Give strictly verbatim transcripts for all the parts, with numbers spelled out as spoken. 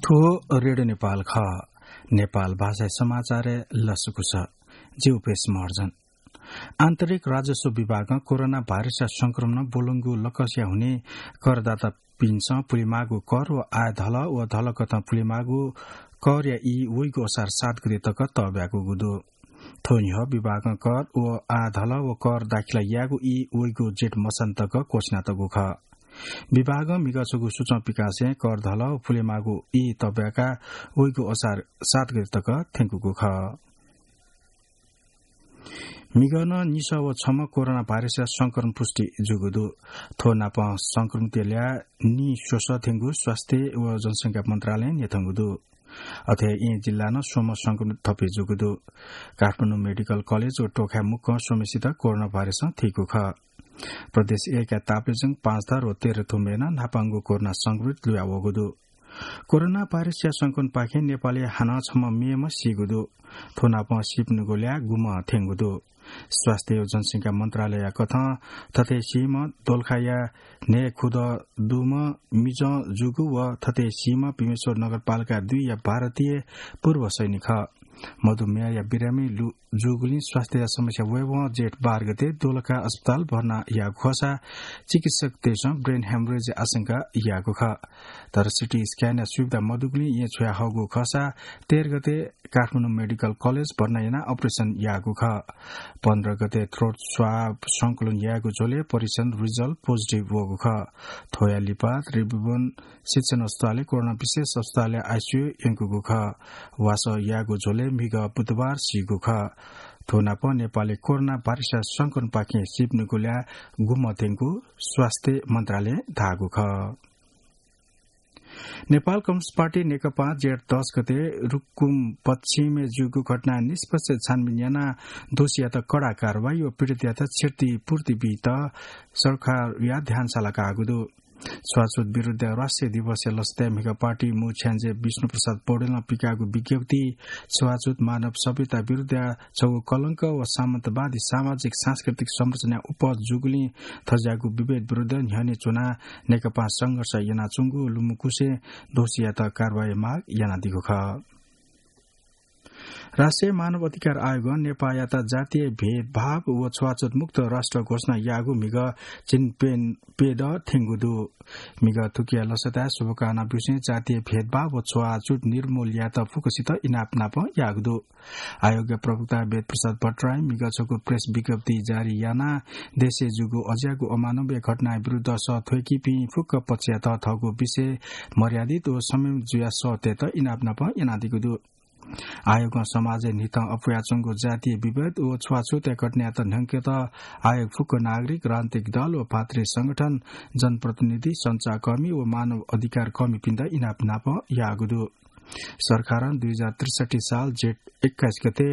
थ्व रेडियो नेपाल खः। नेपाल भाषाया समाचारय् लसकुस। जि उपेश महर्जन। आन्तरिक राजस्व विभागं कोरोना भाइरसया संक्रमणं ब्वलंगु लकसया हुनिं करदातापिन्सं पुलेमाःगु कर व आयधल व धलकथं पुलेमाःगु करया ई वइगु असार सात गते तक तःब्याकूगु दु। थ्व न्ह्यः विभागं कर व आयधल व कर दाखिला यायेगु ई वइगु जेठ मसांत तक क्वःछिनातःगु खः। विभागं म्हिगः छगू सूचं पिकासें करधल व पुलेमाःगु ई तःब्याका वइगु असार सात गते तक थ्यंकूगु खः। म्हिगः नं निसः व छम्ह कोरोना भाइरसया संक्रमण पुष्टि जूगु दु। थ्व नापं संक्रमितया ल्याः निस्वसः थ्यंगु स्वास्थ्य व जनसंख्या मन्त्रालयं न्ह्यथंगु दु। अथे हे येँ जिल्लां नं स्वम्ह संक्रमित थप हे जूगु दु। काठमाडौं मेडिकल कलेज व टोखाय् मुक्कं स्वम्हेसित कोरोना भाइरसं थीगु खः। प्रदेश एकया ताप्लेजुङ, पाँचथर व तेह्रथुमय् नं न्हापांगु कोरोना संक्रमित लुया वःगु दु। कोरोना भाइरसया संक्रमणपाखें नेपालय् हानं छम्ह मेम्ह सीगु दु। थ्व नापं सीपिनिगु ल्याः गुम्ह थ्यंगु दु। स्वास्थ्य व जनसंख्या मन्त्रालयया कथं थथे सीम्ह दोलखाया न्हय् खुदँ दुम्ह मिजं जूगु व थथे सीम्ह भीमेश्वर नगरपालिका दुईया भारतीय पूर्व सैनिक खः। मधुमेहया बिरामी लु-, जूगुलिं स्वास्थ्यया समस्या वयेवं जेठ बाह्र गते दोलखा अस्पताल भर्ना याःगु खःसा चिकित्सकतय्सं brain hemorrhage आशंका याःगु खः। तर CT scan या सुविधा मदुगुलिं येँ छ्वया हःगु खःसा तेह्र गते काठमाडौं मेडिकल कलेज भर्ना यानाः operation याःगु खः। पन्ध्र गते throat swab संकलन याःगु झ्वलय् परीक्षण result positive वःगु खः। थ्वया लिपा त्रिभुवन शिक्षण अस्पतालय् कोरोना विशेष अस्पतालय् ICU यंकूगु खः। वासः याःगु झ्वलय् म्हिगः बुधबार सीगु खः। थ्व नापं नेपालय् कोरोना भाइरसया संक्रमणपाखें सीपिनिगु ल्याः गुम्ह थ्यंगु स्वास्थ्य मन्त्रालयं धाःगु खः। नेपाल कम्युनिस्ट पार्टी नेकपां जेठ दस गते रुकुम पश्चिमय् जूगु घटनाय् निष्पक्ष छानबिन यानाः दोषीयात कडा कारवाही व पीडितयात क्षतिपूर्ति बीत सरकारया ध्यान सालाकाःगु दु। छुवाछुत विरुद्धया राष्ट्रिय दिवसया लसताय् म्हिगः पार्टी मू छ्याञ्जे विष्णुप्रसाद पौडेलं पिकाःगु विज्ञप्तिइ छुवाछुत मानव सभ्यता विरुद्धया छगू कलंक व सामन्तवादी सामाजिक सांस्कृतिक संरचनाया उपज जूगुलिं थज्याःगु विभेद विरुद्ध न्ह्यःने च्वनाः नेकपां संघर्ष यानाच्वंगु लुमंकुसें दोषीयात कारवाही माग यानादीगु खः। राष्ट्रिय मानव अधिकार आयोगं नेपाःयात जातीय भेदभाव व छुवाछुत मुक्त राष्ट्र घोषणा याःगु म्हिगः झिंप्यं प्यदँ थ्यंगु दु। म्हिगः थुकिया लसताय् शुभकामना ब्यूसें जातीय भेदभाव व छुवाछुत निर्मूल यायेत फुक्कसित इनाप नापं याःगु दु। आयोगया प्रवक्ता वेदप्रसाद भट्टराईं म्हिगः छगू प्रेस विज्ञप्ति जारी यानाः देशय् जूगु अज्याःगु अमानवीय घटनाया विरुद्ध सः थ्वय्‌कीपिं फुक्क पक्षयात थःगु विषय मर्यादित व संयमित जुयाः सः तयेत इनाप नापं यानादीगु दु। आयोगं समाजय् न्हिथं अप्वयाच्वंगु जातीय विभेद व छुवाछुतया घटनायात न्हंकेत आयोग फुक्क नागरिक, राजनीतिक दल व भातृ संगठन, जनप्रतिनिधि, सञ्चारकर्मी व मानव अधिकार कर्मीपिन्त इनाप नापं याःगु दु। सरकारं दुई हजार त्रिसट्ठी साल जेठ एक्काइस गते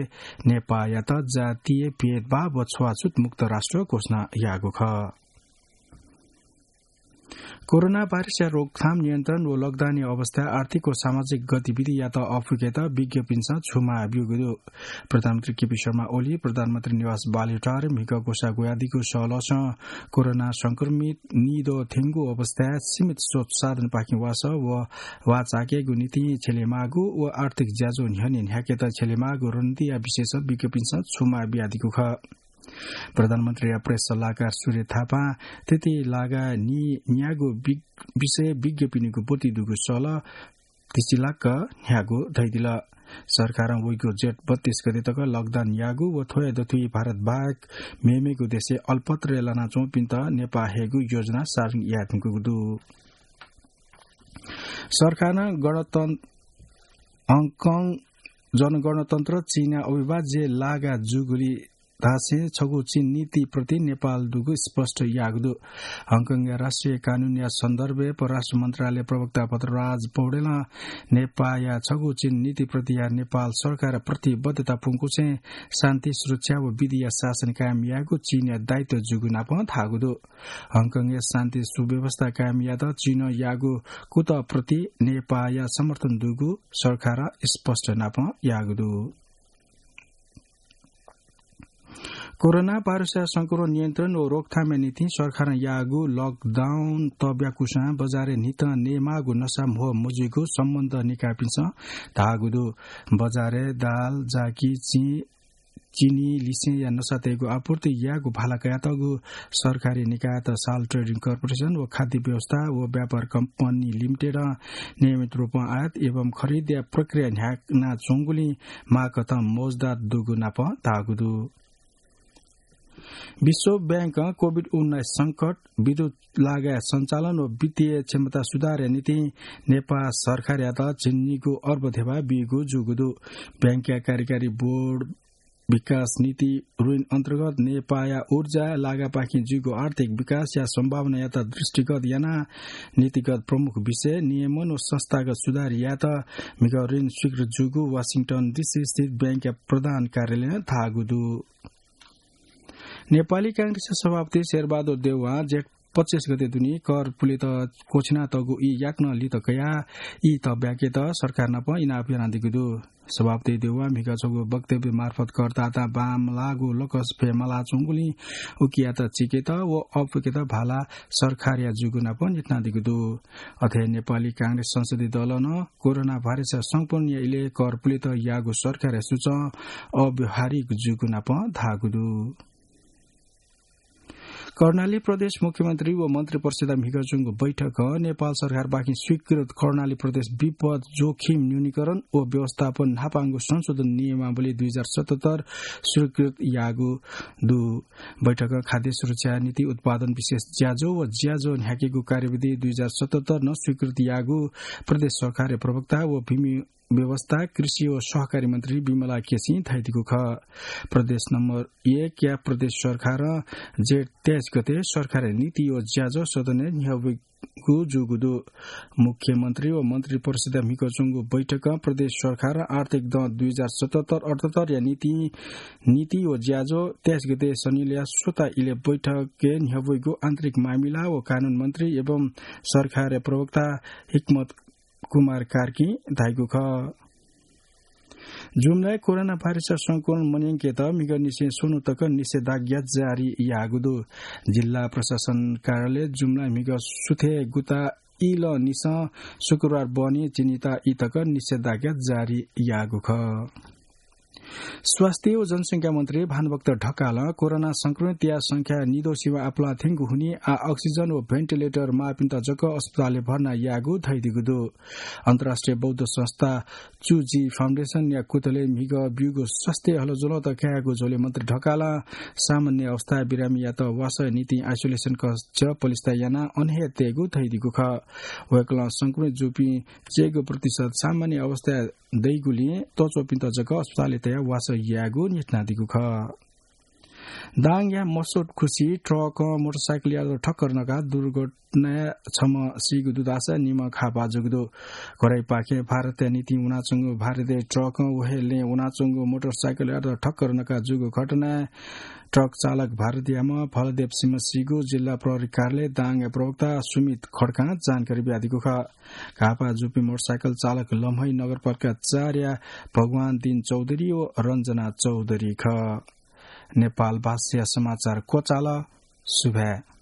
नेपाःयात जातीय भेदभाव व छुवाछुत मुक्त राष्ट्र घोषणा याःगु खः। कोरोना भाइरसया रोकथाम, नियन्त्रण व लकडाउनया अवस्था आर्थिक व सामाजिक गतिविधियात अःपुकेत विज्ञपिन्सं छुमाः ब्यूगु दु। प्रधानमन्त्री केपी शर्मा ओली प्रधानमन्त्री निवास बालुवाटारय् म्हिगः ग्वसाः ग्वयादीगु सहलहसं कोरोना संक्रमित निद्वः थ्यंगु अवस्थाय् सीमित स्रोत साधनपाखें वासः व वाःचाकेगु निंतिं छ्यलेमाःगु व आर्थिक ज्याझ्वः न्ह्यःने न्ह्याकेत छ्यलेमाःगु रणनीतिया विषयसं विज्ञपिन्सं छुमाः बियादीगु खः। प्रधानमन्त्रीया प्रेस सल्लाहकार सूर्य थापां थथे लागा नी न्यागू वि-, विषय विज्ञपिनिगु ब्वति दुगु सहलह तिसिलाक्क न्ह्यागु धयादिल। सरकारं वइगु जेठ बत्तीस गते तक लकडाउन याःगु व थ्वया दथुइ भारत बाहेक मेमेगु देशय् अलपत्र लानाच्वंपिन्त नेपाः हयेगु योजना सारण याये धुंकूगु दु। सरकारं गणतन्त्र, हङकङ जनगणतन्त्र चीनया अविभाज्य लागा जूगुलिं धासें छगू चीन नीतिप्रति नेपाल दुगु स्पष्ट याःगु दु। हङकङया राष्ट्रिय कानूनया सन्दर्भय् परराष्ट्र मन्त्रालय प्रवक्ता भद्रराज पौडेलं नेपाःया छगू चीन नीतिप्रतिया नेपाल सरकार प्रतिबद्धता पुंकुसें शान्ति, सुरक्षा व विधिया शासन कायम यायेगु चीनया दायित्व जूगु नापं धाःगु दु। हङकङय् शान्ति सुव्यवस्था कायम यायेत चीनं याःगु कुतः प्रति नेपाःया समर्थन दुगु सरकारं स्पष्ट नापं याःगु दु। कोरोना भाइरसया संक्रमण नियन्त्रण व रोकथामया निंतिं सरकारं याःगु लकडाउन तब्याकुसां बजारय् न्हितं नयेमाःगु नसा म्हो मजुइगु सम्बन्ध निकायपिन्सं धाःगु दु। बजारय् दाल, जाकि, चिं, चिनी, लिसेंया नसा तयेगु आपूर्ति यायेगु भाला कयातःगु सरकारी निकायत साल ट्रेडिङ कर्पोरेसन व खाद्य व्यवस्था व व्यापार कम्पनी लिमिटेडं नियमित रूपं आयात एवं खरिदया प्रक्रिया न्ह्यानाच्वंगुलिं माःकथं मौजदार दुगु नाप धाःगु दु। विश्व बैंकं कोभिड उन्नाइस संकट, विद्युत लागाय् सञ्चालन व वित्तीय क्षमता सुधारया निंतिं नेपाल सरकारयात झिंनिगू अर्ब धेबा बीगु जूगु दु। बैंकया कार्यकारी बोर्ड विकास नीति ऋण अन्तर्गत नेपाःया ऊर्जा लागापाखें जुइगु आर्थिक विकासया सम्भावनायात दृष्टिगत यानाः नीतिगत प्रमुख विषय, नियमन व संस्थागत सुधार यायेत म्हिगः ऋण स्वीकृत जूगु वाशिंटन डिसी स्थित बैंकया प्रधान कार्यालयं धाःगु दु। नेपाली कांग्रेसया सभापति शेरबहादुर देउवां जेठ पच्चिस गते दुने कर पुलेत क्वछिनातःगु ई याकनं लित कयाः ई तब्याकेत सरकार नाप इनाप यानादीगु दु। सभापति देउवां म्हिगः छगू वक्तव्य मार्फत करदातां बांमलाःगु लकस फयेमालाच्वंगुलिं उकियात चीकेत व अःपुकेत भाला सरकारया जूगु नाप न्ह्यथनादीगु दु। अथे नेपाली कांग्रेस संसदीय दलं नं कोरोना भाइरसया संक्रमणया इलय् कर पुलेत याःगु सरकारया सूचं अव्यावहारिक जूगु नाप धाःगु दु। कर्णाली प्रदेश मुख्यमन्त्री व मन्त्री परिषदया म्हिगः च्वंगु बैठकं नेपाल सरकारपाखें स्वीकृत कर्णाली प्रदेश विपद जोखिम न्यूनीकरण व व्यवस्थापन न्हापांगु संशोधन नियमावली दुई हजार सतहत्तर स्वीकृत याःगु दु। बैठकं खाद्य सुरक्षा नीति, उत्पादन विशेष ज्याझ्वः व ज्याझ्वः न्ह्याकेगु कार्यविधि दुई हजार सतहत्तर नं स्वीकृत याःगु प्रदेश सरकारया प्रवक्ता व भूमि व्यवस्था, कृषि व सहकारी मन्त्री विमला केसीं धयादीगु खः। प्रदेश नम्बर एकया प्रदेश सरकारं जेठ तेइस गते सरकारया नीति व ज्याझ्वः सदनय् न्ह्यब्वइगु जूगु दु। मुख्यमन्त्री व मन्त्री परिषदया म्हिगः च्वंगु बैठकं प्रदेश सरकारं आर्थिक दँ दुई हजार सतहत्तर अठहत्तरया नीति, नीति व ज्याझ्वः तेइस गते शनिलया स्वता इलय् बैठकय् न्ह्यब्वइगु आन्तरिक मामिला व कानून मन्त्री एवं सरकारया प्रवक्ता हिक्मत कुमार कार्कीं धाइगु खः। जुम्लाय् कोरोना भाइरसया संक्रमण मन्यंकेत म्हिगः निसें स्वन्हु तक निषेधाज्ञा जारी याःगु दु। जिल्ला प्रशासन कार्यालय जुम्लां म्हिगः सुथय् गुता इलंनिसें शुक्रबार बहनी चिनिता ई तक निषेधाज्ञा जारी याःगु खः। स्वास्थ्य व जनसंख्या मन्त्री भानुभक्त ढकालं कोरोना संक्रमितया संख्या निद्वः सिमा आपालं थ्यंगु हुनिं आः अक्सिजन व भेन्टिलेटर माःपिन्त जक अस्पतालय् भर्ना यायेगु धयादीगु दु। अन्तर्राष्ट्रिय बौद्ध संस्था चुजी फाउन्डेसनया कुतलय् म्हिगः ब्यूगु स्वास्थ्य हलज्वलंत कायेगु झ्वलय् मन्त्री ढकालं सामान्य अवस्थाय् बिरामीयात वासःया निंतिं आइसोलेसन कक्ष पलिस्था यानाः अन हे तयेगु धयादीगु खः। वय्कलं संक्रमित जूपिं चय्गू प्रतिशत सामान्य अवस्थाय् दइगुलिं तःच्वःपिन्त जक अस्पतालय् तयाः वासः यायेगु न्ह्यथनादीगु खः। दाङया मसोटखुसी ट्रकं मोटरसाइकल यात्री ठक्कर नकाः दुर्घटनाय् छम्ह सीगु दुधाःसा निम्ह घाःपाः जूगु दु। घोराइपाखें भारतया निंतिं वनाच्वंगु भारतीय ट्रकं व हे लँय् वनाच्वंगु मोटरसाइकल यात्री ठक्कर नकाः जूगु घटनाय् ट्रक चालक भारतीयाम्ह फलदेव सिंह सीगु जिल्ला प्रहरी कार्यालय दाङया प्रवक्ता सुमित खड्कां जानकारी बियादीगु खः। घाःपाः जूपिं मोटरसाइकल चालक लम्है नगरपालिका चारया भगवान दिन चौधरी व रञ्जना चौधरी खः। नेपाल भाषाया समाचार क्वचाल। सुभाय्।